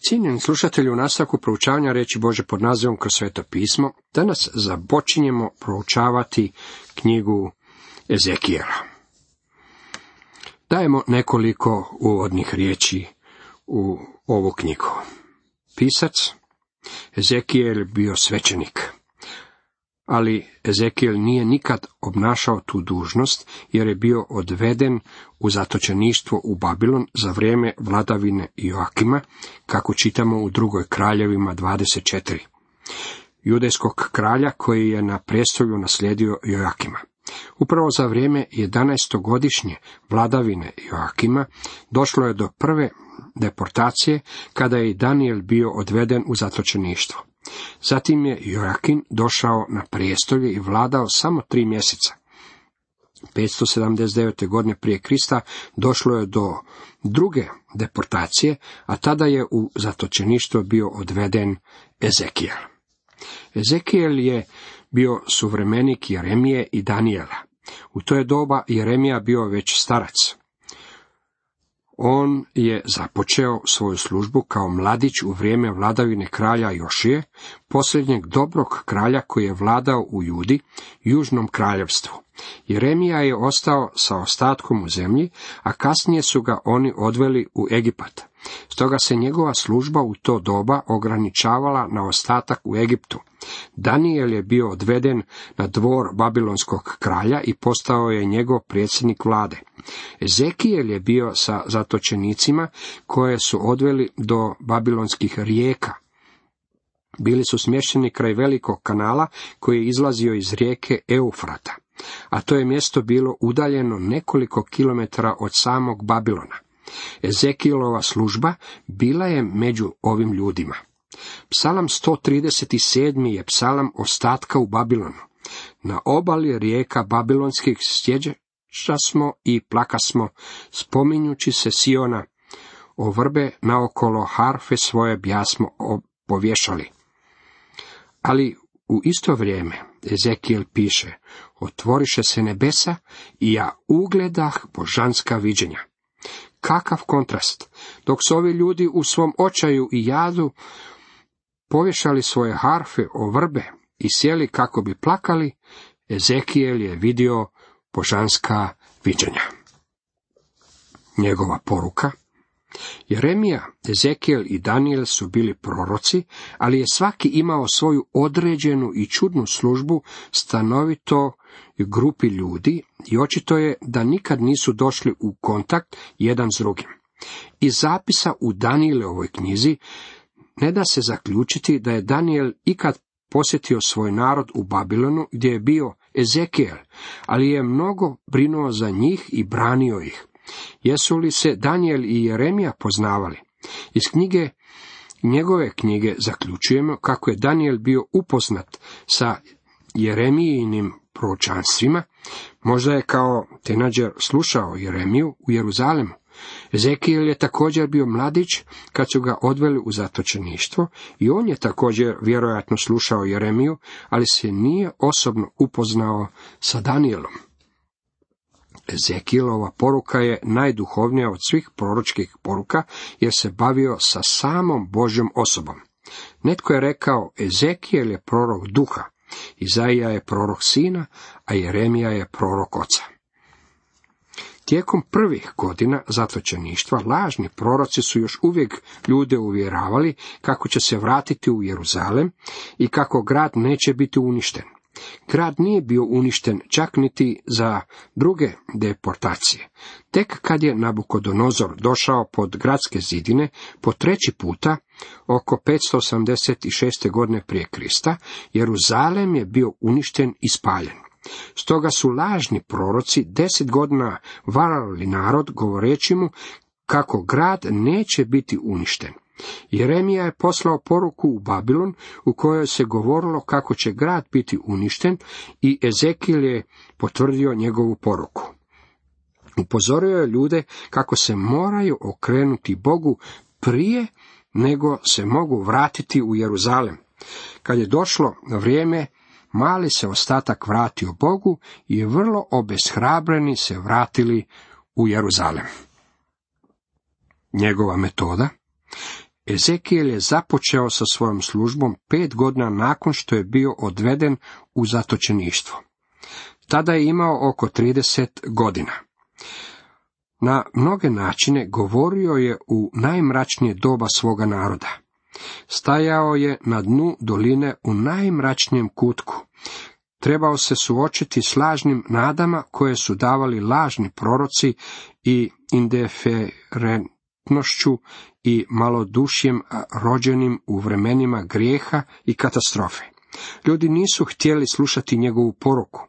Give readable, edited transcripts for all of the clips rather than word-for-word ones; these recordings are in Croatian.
Cijenjeni slušatelji, u nastavku proučavanja riječi Božje pod nazivom Kroz sveto pismo, danas započinjemo proučavati knjigu Ezekijela. Dajemo nekoliko uvodnih riječi u ovu knjigu. Pisac Ezekijel bio svećenik, ali Ezekijel nije nikad obnašao tu dužnost jer je bio odveden u zatočeništvo u Babilon za vrijeme vladavine Joakima, kako čitamo u 2. Kraljevima 24. Judejskog kralja koji je na prestolju naslijedio Joakima. Upravo za vrijeme 11-godišnje vladavine Joakima došlo je do prve deportacije kada je i Danijel bio odveden u zatočeništvo. Zatim je Joakim došao na prijestolje i vladao samo 3 mjeseca. 579. godine prije Krista došlo je do druge deportacije, a tada je u zatočeništvo bio odveden Ezekijel. Ezekijel je bio suvremenik Jeremije i Danijela. U to je doba Jeremija bio već starac. On je započeo svoju službu kao mladić u vrijeme vladavine kralja Jošije, posljednjeg dobrog kralja koji je vladao u Judi, južnom kraljevstvu. Jeremija je ostao sa ostatkom u zemlji, a kasnije su ga oni odveli u Egipat. Stoga se njegova služba u to doba ograničavala na ostatak u Egiptu. Danijel je bio odveden na dvor babilonskog kralja i postao je njegov predsjednik vlade. Ezekijel je bio sa zatočenicima koje su odveli do babilonskih rijeka. Bili su smješteni kraj velikog kanala koji je izlazio iz rijeke Eufrata, a to je mjesto bilo udaljeno nekoliko kilometara od samog Babilona. Ezekijelova služba bila je među ovim ljudima. Psalam 137. je psalam ostatka u Babilonu. Na obali rijeka babilonskih sjeđaša smo i plakasmo, spominjući se Siona, o vrbe naokolo harfe svoje bjasmo povješali. Ali u isto vrijeme Ezekijel piše, otvoriše se nebesa i ja ugledah božanska viđenja. Kakav kontrast! Dok su ovi ljudi u svom očaju i jadu povješali svoje harfe o vrbe i sjeli kako bi plakali, Ezekijel je vidio božanska viđenja. Njegova poruka. Jeremija, Ezekijel i Danijel su bili proroci, ali je svaki imao svoju određenu i čudnu službu stanovito grupi ljudi i očito je da nikad nisu došli u kontakt jedan s drugim. Iz zapisa u Danijelovoj knjizi ne da se zaključiti da je Danijel ikad posjetio svoj narod u Babilonu gdje je bio Ezekijel, ali je mnogo brinuo za njih i branio ih. Jesu li se Danijel i Jeremija poznavali? Iz njegove knjige zaključujemo kako je Danijel bio upoznat sa Jeremijinim proročanstvima, možda je kao teenadžer slušao Jeremiju u Jeruzalemu. Ezekijel je također bio mladić kad su ga odveli u zatočeništvo i on je također vjerojatno slušao Jeremiju, ali se nije osobno upoznao sa Danijelom. Ezekijelova poruka je najduhovnija od svih proročkih poruka jer se bavio sa samom Božjom osobom. Netko je rekao, Ezekijel je prorok duha, Izaija je prorok sina, a Jeremija je prorok oca. Tijekom prvih godina zatočeništva lažni proroci su još uvijek ljude uvjeravali kako će se vratiti u Jeruzalem i kako grad neće biti uništen. Grad nije bio uništen čak niti za druge deportacije. Tek kad je Nabukodonozor došao pod gradske zidine po 3. puta, oko 586. godine prije Krista, Jeruzalem je bio uništen i spaljen. Stoga su lažni proroci 10 godina varali narod govoreći mu kako grad neće biti uništen. Jeremija je poslao poruku u Babilon u kojoj se govorilo kako će grad biti uništen i Ezekijel je potvrdio njegovu poruku. Upozorio je ljude kako se moraju okrenuti Bogu prije nego se mogu vratiti u Jeruzalem. Kad je došlo vrijeme, mali se ostatak vratio Bogu i vrlo obeshrabreni se vratili u Jeruzalem. Njegova metoda. Ezekijel je započeo sa svojom službom 5 godina nakon što je bio odveden u zatočeništvo. Tada je imao oko 30 godina. Na mnoge načine govorio je u najmračnije doba svoga naroda. Stajao je na dnu doline u najmračnijem kutku. Trebao se suočiti s lažnim nadama koje su davali lažni proroci i indiferentnošću i malodušjem rođenim u vremenima grijeha i katastrofe. Ljudi nisu htjeli slušati njegovu poruku,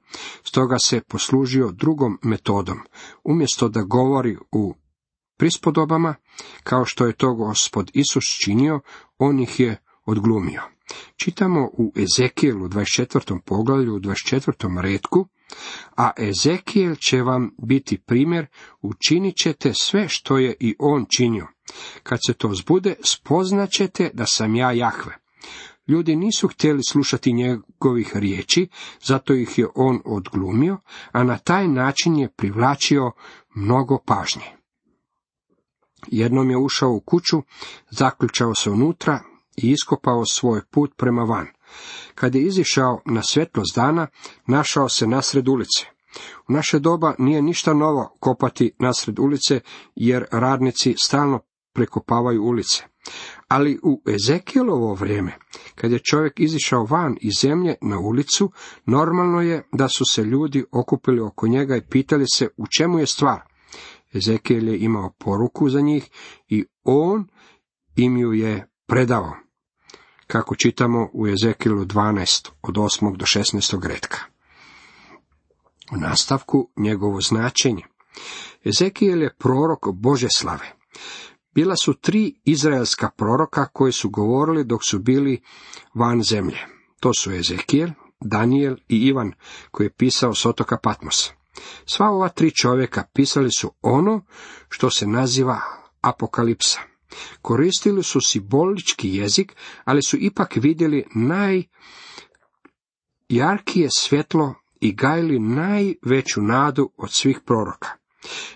stoga se poslužio drugom metodom. Umjesto da govori u prispodobama, kao što je to Gospod Isus činio, on ih je odglumio. Čitamo u Ezekijelu 24. poglavlju u 24. retku, a Ezekijel će vam biti primjer, učinit ćete sve što je i on činio. Kad se to zbude, spoznaćete da sam ja Jahve. Ljudi nisu htjeli slušati njegovih riječi, zato ih je on odglumio, a na taj način je privlačio mnogo pažnje. Jednom je ušao u kuću, zaključao se unutra i iskopao svoj put prema van. Kad je izišao na svjetlost dana, našao se nasred ulice. U naše doba nije ništa novo kopati nasred ulice, jer radnici stalno prekopavaju ulice. Ali u Ezekijelovo vrijeme, kad je čovjek izišao van iz zemlje na ulicu, normalno je da su se ljudi okupili oko njega i pitali se u čemu je stvar. Ezekijel je imao poruku za njih i on im ju je predao, kako čitamo u Ezekijelu 12, od 8. do 16. retka. U nastavku njegovo značenje. Ezekijel je prorok Božje slave. Bila su 3 izraelska proroka koji su govorili dok su bili van zemlje. To su Ezekijel, Danijel i Ivan, koji je pisao s otoka Patmosa. Sva ova 3 čovjeka pisali su ono što se naziva apokalipsa. Koristili su simbolički jezik, ali su ipak vidjeli najjarkije svjetlo i gajili najveću nadu od svih proroka.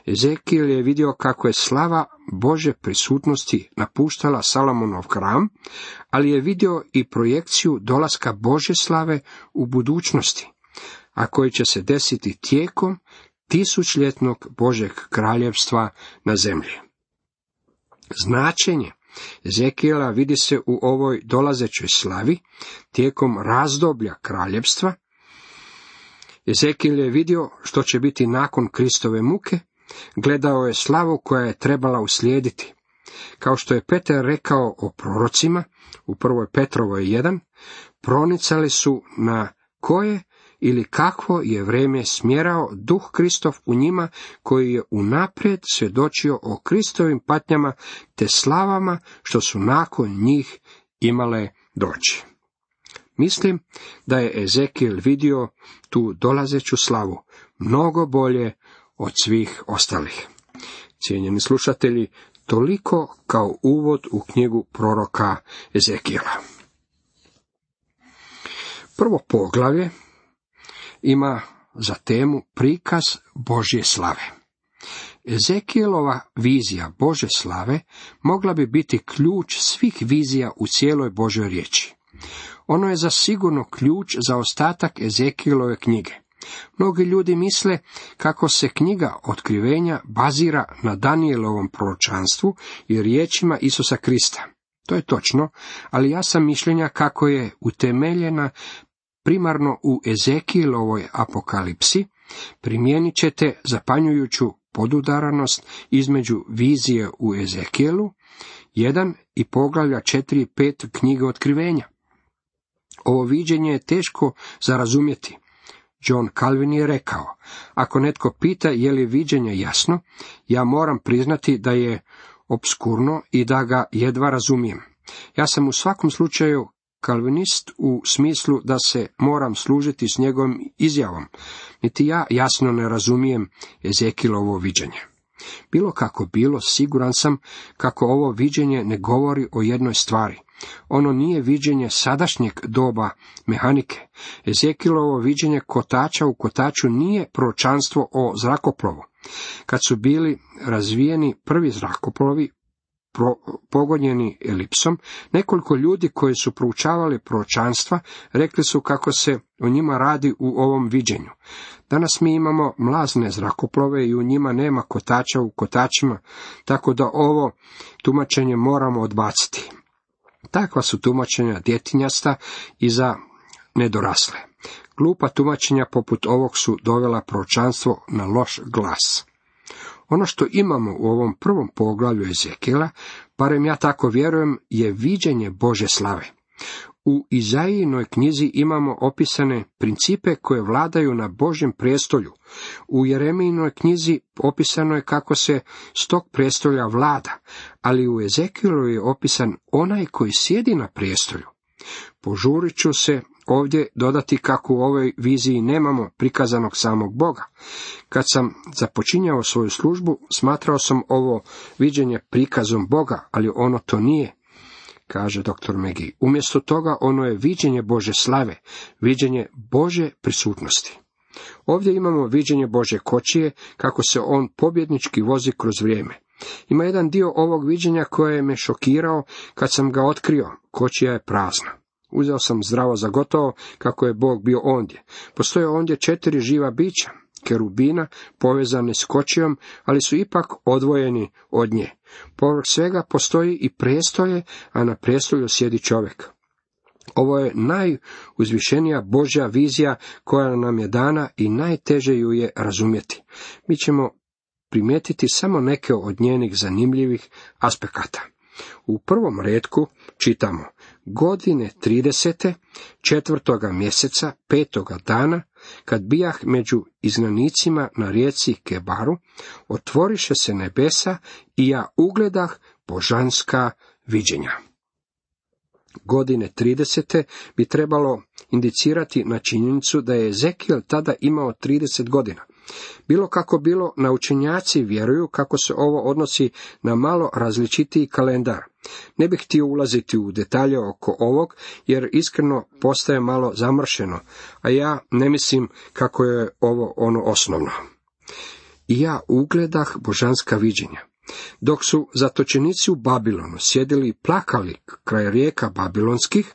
Ezekijel je vidio kako je slava Božje prisutnosti napuštala Salomonov hram, ali je vidio i projekciju dolaska Božje slave u budućnosti, a koji će se desiti tijekom tisućljetnog Božjeg kraljevstva na zemlji. Značenje Ezekijela vidi se u ovoj dolazećoj slavi tijekom razdoblja kraljevstva. Ezekijel je vidio što će biti nakon Kristove muke, gledao je slavu koja je trebala uslijediti. Kao što je Petar rekao o prorocima, u 1. Petrovoj 1, pronicali su na koje ili kakvo je vrijeme smjerao duh Kristov u njima, koji je unaprijed svjedočio o Kristovim patnjama te slavama što su nakon njih imale doći. Mislim da je Ezekijel vidio tu dolazeću slavu mnogo bolje od svih ostalih. Cijenjeni slušatelji, toliko kao uvod u knjigu proroka Ezekijela. Prvo poglavlje ima za temu prikaz Božje slave. Ezekijelova vizija Božje slave mogla bi biti ključ svih vizija u cijeloj Božjoj riječi. Ono je zasigurno ključ za ostatak Ezekijelove knjige. Mnogi ljudi misle kako se knjiga Otkrivenja bazira na Danijelovom proročanstvu i riječima Isusa Krista. To je točno, ali ja sam mišljenja kako je utemeljena primarno u Ezekielovoj apokalipsi. Primijenit ćete zapanjujuću podudaranost između vizije u Ezekijelu 1 i poglavlja 4 i 5 knjige Otkrivenja. Ovo viđenje je teško za razumjeti. John Calvin je rekao, ako netko pita je li viđenje jasno, ja moram priznati da je obskurno i da ga jedva razumijem. Ja sam u svakom slučaju kalvinist u smislu da se moram služiti s njegovom izjavom, niti ja jasno ne razumijem Ezekielovo viđenje. Bilo kako bilo, siguran sam kako ovo viđenje ne govori o jednoj stvari. Ono nije viđenje sadašnjeg doba mehanike. Ezekielovo viđenje kotača u kotaču nije proročanstvo o zrakoplovu. Kad su bili razvijeni prvi zrakoplovi, pogonjeni elipsom, nekoliko ljudi koji su proučavali proročanstva rekli su kako se o njima radi u ovom viđenju. Danas mi imamo mlazne zrakoplove i u njima nema kotača u kotačima, tako da ovo tumačenje moramo odbaciti. Takva su tumačenja djetinjasta i za nedorasle. Glupa tumačenja poput ovog su dovela proročanstvo na loš glas. Ono što imamo u ovom prvom poglavlju Ezekijela, barem ja tako vjerujem, je viđenje Božje slave. U Izajinoj knjizi imamo opisane principe koje vladaju na Božjem prijestolju. U Jeremijinoj knjizi opisano je kako se s tog prijestolja vlada, ali u Ezekijelu je opisan onaj koji sjedi na prijestolju. Požurit ću se ovdje dodati kako u ovoj viziji nemamo prikazanog samog Boga. Kad sam započinjao svoju službu, smatrao sam ovo viđenje prikazom Boga, ali ono to nije, kaže dr. Megi. Umjesto toga ono je viđenje Božje slave, viđenje Božje prisutnosti. Ovdje imamo viđenje Božje kočije, kako se on pobjednički vozi kroz vrijeme. Ima jedan dio ovog viđenja koje me šokirao kad sam ga otkrio. Kočija je prazna. Uzeo sam zdravo za gotovo kako je Bog bio ondje. Postoje ondje 4 živa bića, kerubina, povezani s kočijom, ali su ipak odvojeni od nje. Povrh svega postoji i prijestolje, a na prijestolju sjedi čovjek. Ovo je najuzvišenija Božja vizija koja nam je dana i najteže ju je razumjeti. Mi ćemo primijetiti samo neke od njenih zanimljivih aspekata. U prvom retku čitamo: godine 30. 4. mjeseca 5. dana, kad bijah među izgnanicima na rijeci Kebaru, otvoriše se nebesa i ja ugledah božanska viđenja. Godine 30. bi trebalo indicirati na činjenicu da je Ezekijel tada imao 30 godina. Bilo kako bilo, naučenjaci vjeruju kako se ovo odnosi na malo različitiji kalendar. Ne bih htio ulaziti u detalje oko ovog, jer iskreno postaje malo zamršeno, a ja ne mislim kako je ovo ono osnovno. I ja ugledah božanska viđenja. Dok su zatočenici u Babilonu sjedili i plakali kraj rijeka babilonskih,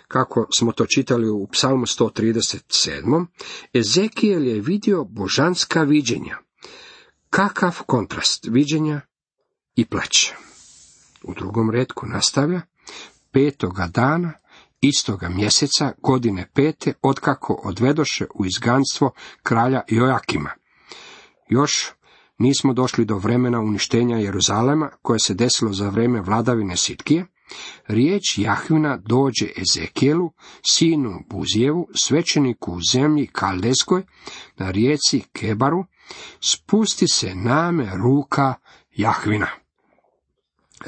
kako smo to čitali u Psalmu 137. Ezekijel je vidio božanska viđenja. Kakav kontrast viđenja i plać. U drugom retku nastavlja: 5. dana istoga mjeseca godine 5. otkako odvedoše u izganstvo kralja Jojakima. Još nismo došli do vremena uništenja Jeruzalema koje se desilo za vrijeme vladavine Sitkije. Riječ Jahvina dođe Ezekijelu, sinu Buzijevu, svećeniku u zemlji Kaldeskoj, na rijeci Kebaru: spusti se name ruka Jahvina.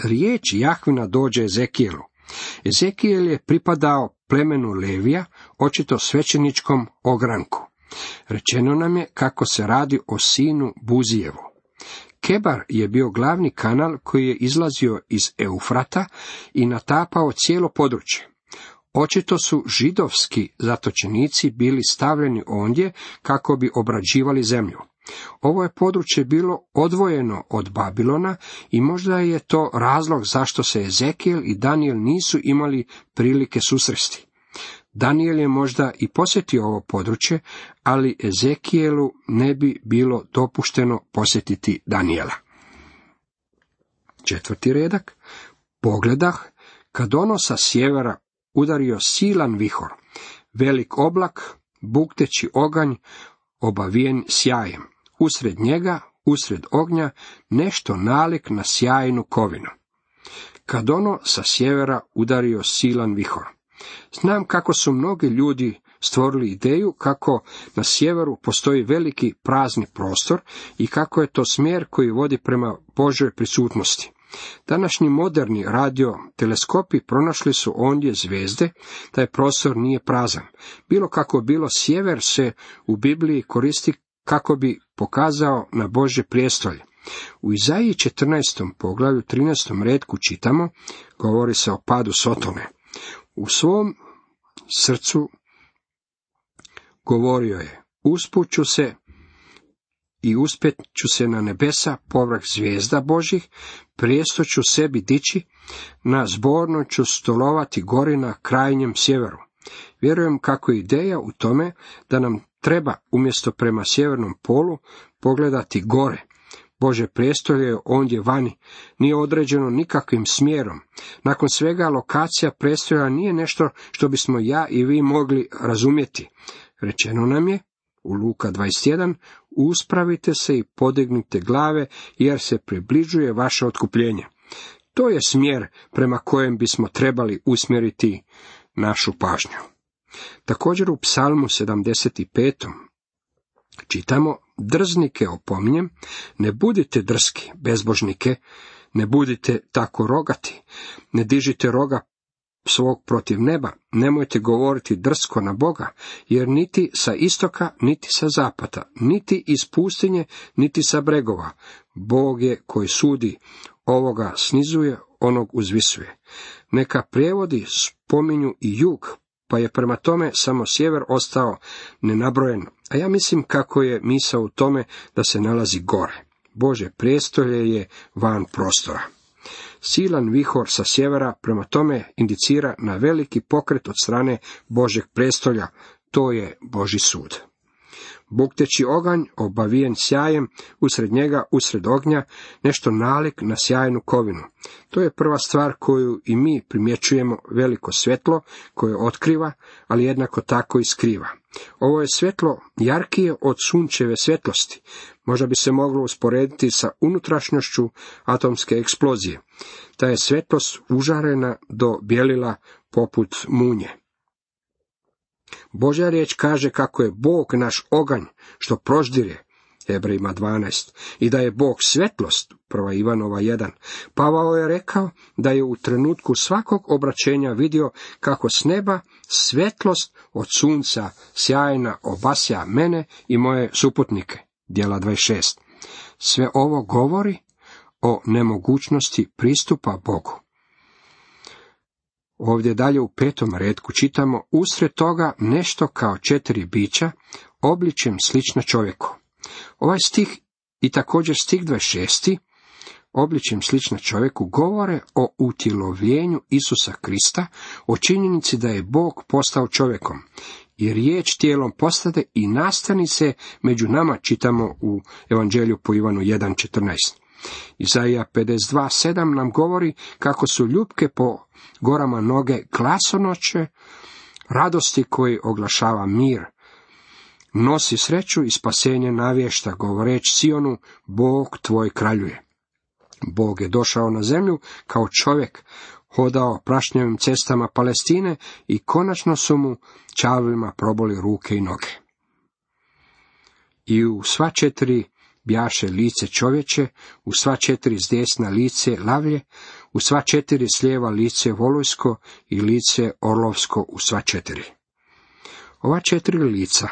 Riječ Jahvina dođe Ezekijelu. Ezekijel je pripadao plemenu Levija, očito svećeničkom ogranku. Rečeno nam je kako se radi o sinu Buzijevu. Kebar je bio glavni kanal koji je izlazio iz Eufrata i natapao cijelo područje. Očito su židovski zatočenici bili stavljeni ondje kako bi obrađivali zemlju. Ovo je područje bilo odvojeno od Babilona i možda je to razlog zašto se Ezekijel i Danijel nisu imali prilike susresti. Danijel je možda i posjetio ovo područje, ali Ezekijelu ne bi bilo dopušteno posjetiti Danijela. 4. redak: pogledah, kad ono sa sjevera udario silan vihor, velik oblak, bukteći oganj, obavijen sjajem. Usred njega, usred ognja, nešto nalik na sjajnu kovinu. Kad ono sa sjevera udario silan vihor. Znam kako su mnogi ljudi stvorili ideju kako na sjeveru postoji veliki prazni prostor i kako je to smjer koji vodi prema Božoj prisutnosti. Današnji moderni radioteleskopi pronašli su ondje zvijezde, taj prostor nije prazan. Bilo kako bilo, sjever se u Bibliji koristi kako bi pokazao na Božje prijestolje. U Izaiji 14. poglavlju 13. retku čitamo, govori se o padu Sotone. U svom srcu govorio je: uspuću se i uspjet ću se na nebesa povrh zvijezda Božjih, prijesto ću sebi dići, na zborno ću stolovati gori na krajnjem sjeveru. Vjerujem kako je ideja u tome da nam treba umjesto prema sjevernom polu pogledati gore. Božje prijestolje je ondje vani, nije određeno nikakvim smjerom. Nakon svega lokacija prijestolja nije nešto što bismo ja i vi mogli razumjeti. Rečeno nam je u Luka 21, uspravite se i podignite glave, jer se približuje vaše otkupljenje. To je smjer prema kojem bismo trebali usmjeriti našu pažnju. Također u Psalmu 75. čitamo: drznike opominjem, ne budite drski, bezbožnike, ne budite tako rogati, ne dižite roga svog protiv neba, nemojte govoriti drsko na Boga, jer niti sa istoka, niti sa zapada, niti iz pustinje, niti sa bregova, Bog je koji sudi, ovoga snizuje, onog uzvisuje. Neka prijevodi spominju i jug, pa je prema tome samo sjever ostao nenabrojen, a ja mislim kako je misao u tome da se nalazi gore. Božje prijestolje je van prostora. Silan vihor sa sjevera prema tome indicira na veliki pokret od strane Božjeg prijestolja, to je Božji sud. Bukteći oganj, obavijen sjajem, usred njega, usred ognja, nešto nalik na sjajnu kovinu. To je prva stvar koju i mi primjećujemo, veliko svjetlo koje otkriva, ali jednako tako i skriva. Ovo je svjetlo jarkije od sunčeve svjetlosti. Možda bi se moglo usporediti sa unutrašnjošću atomske eksplozije. Ta je svjetlost užarena do bijelila poput munje. Božja riječ kaže kako je Bog naš oganj što proždire, Hebrejima 12, i da je Bog svjetlost, 1. Ivanova 1. Pavao je rekao da je u trenutku svakog obraćenja vidio kako s neba svjetlost od sunca sjajna obasja mene i moje suputnike, Djela 26. Sve ovo govori o nemogućnosti pristupa Bogu. Ovdje dalje u 5. retku čitamo: usred toga nešto kao 4 bića, obličjem slična čovjeku. Ovaj stih i također stih 26. obličjem slična čovjeku govore o utjelovljenju Isusa Krista, o činjenici da je Bog postao čovjekom. I riječ tijelom postade i nastani se među nama, čitamo u Evanđelju po Ivanu 1.14. Izaija 52.7 nam govori kako su ljupke po gorama noge glasonoće, radosti koji oglašava mir. Nosi sreću i spasenje navješta, govoreći Sionu, Bog tvoj kraljuje. Bog je došao na zemlju kao čovjek, hodao prašnjavim cestama Palestine i konačno su mu čavlima proboli ruke i noge. I u sva 4 bjaše lice čovječe, u sva 4 zdesna lice lavlje, u sva 4 slijeva lice volujsko i lice orlovsko u sva 4. Ova 4 lica,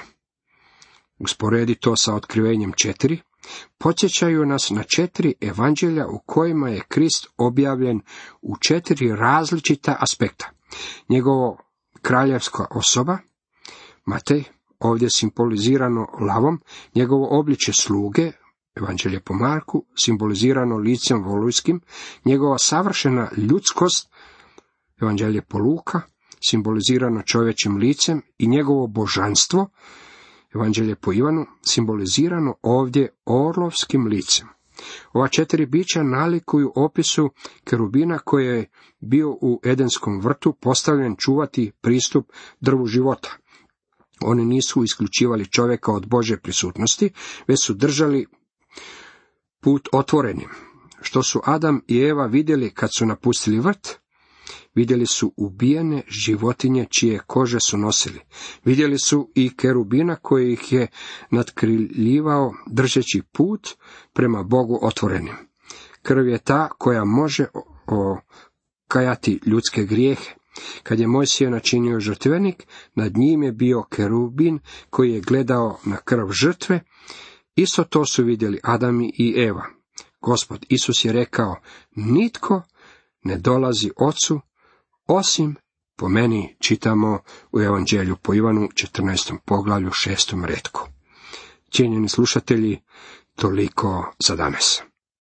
usporedi to sa otkrivenjem 4, podsjećaju nas na 4 evanđelja u kojima je Krist objavljen u 4 različita aspekta. Njegovo kraljevska osoba, Matej, ovdje simbolizirano lavom, njegovo obličje sluge, Evanđelje po Marku, simbolizirano licem volujskim, njegova savršena ljudskost, Evanđelje po Luka, simbolizirano čovječim licem, i njegovo božanstvo, Evanđelje po Ivanu, simbolizirano ovdje orlovskim licem. Ova 4 bića nalikuju opisu kerubina koji je bio u Edenskom vrtu postavljen čuvati pristup drvu života. Oni nisu isključivali čovjeka od Božje prisutnosti, već su držali put otvorenim. Što su Adam i Eva vidjeli kad su napustili vrt? Vidjeli su ubijene životinje čije kože su nosili. Vidjeli su i kerubina koji ih je natkriljivao držeći put prema Bogu otvorenim. Krv je ta koja može okajati ljudske grijehe. Kad je Mojsije načinio žrtvenik, nad njim je bio kerubin koji je gledao na krv žrtve. Isto to su vidjeli Adam i Eva. Gospod Isus je rekao: nitko ne dolazi Ocu osim po meni, čitamo u Evanđelju po Ivanu 14. poglavlju 6. retku. Cijenjeni slušatelji, toliko za danas.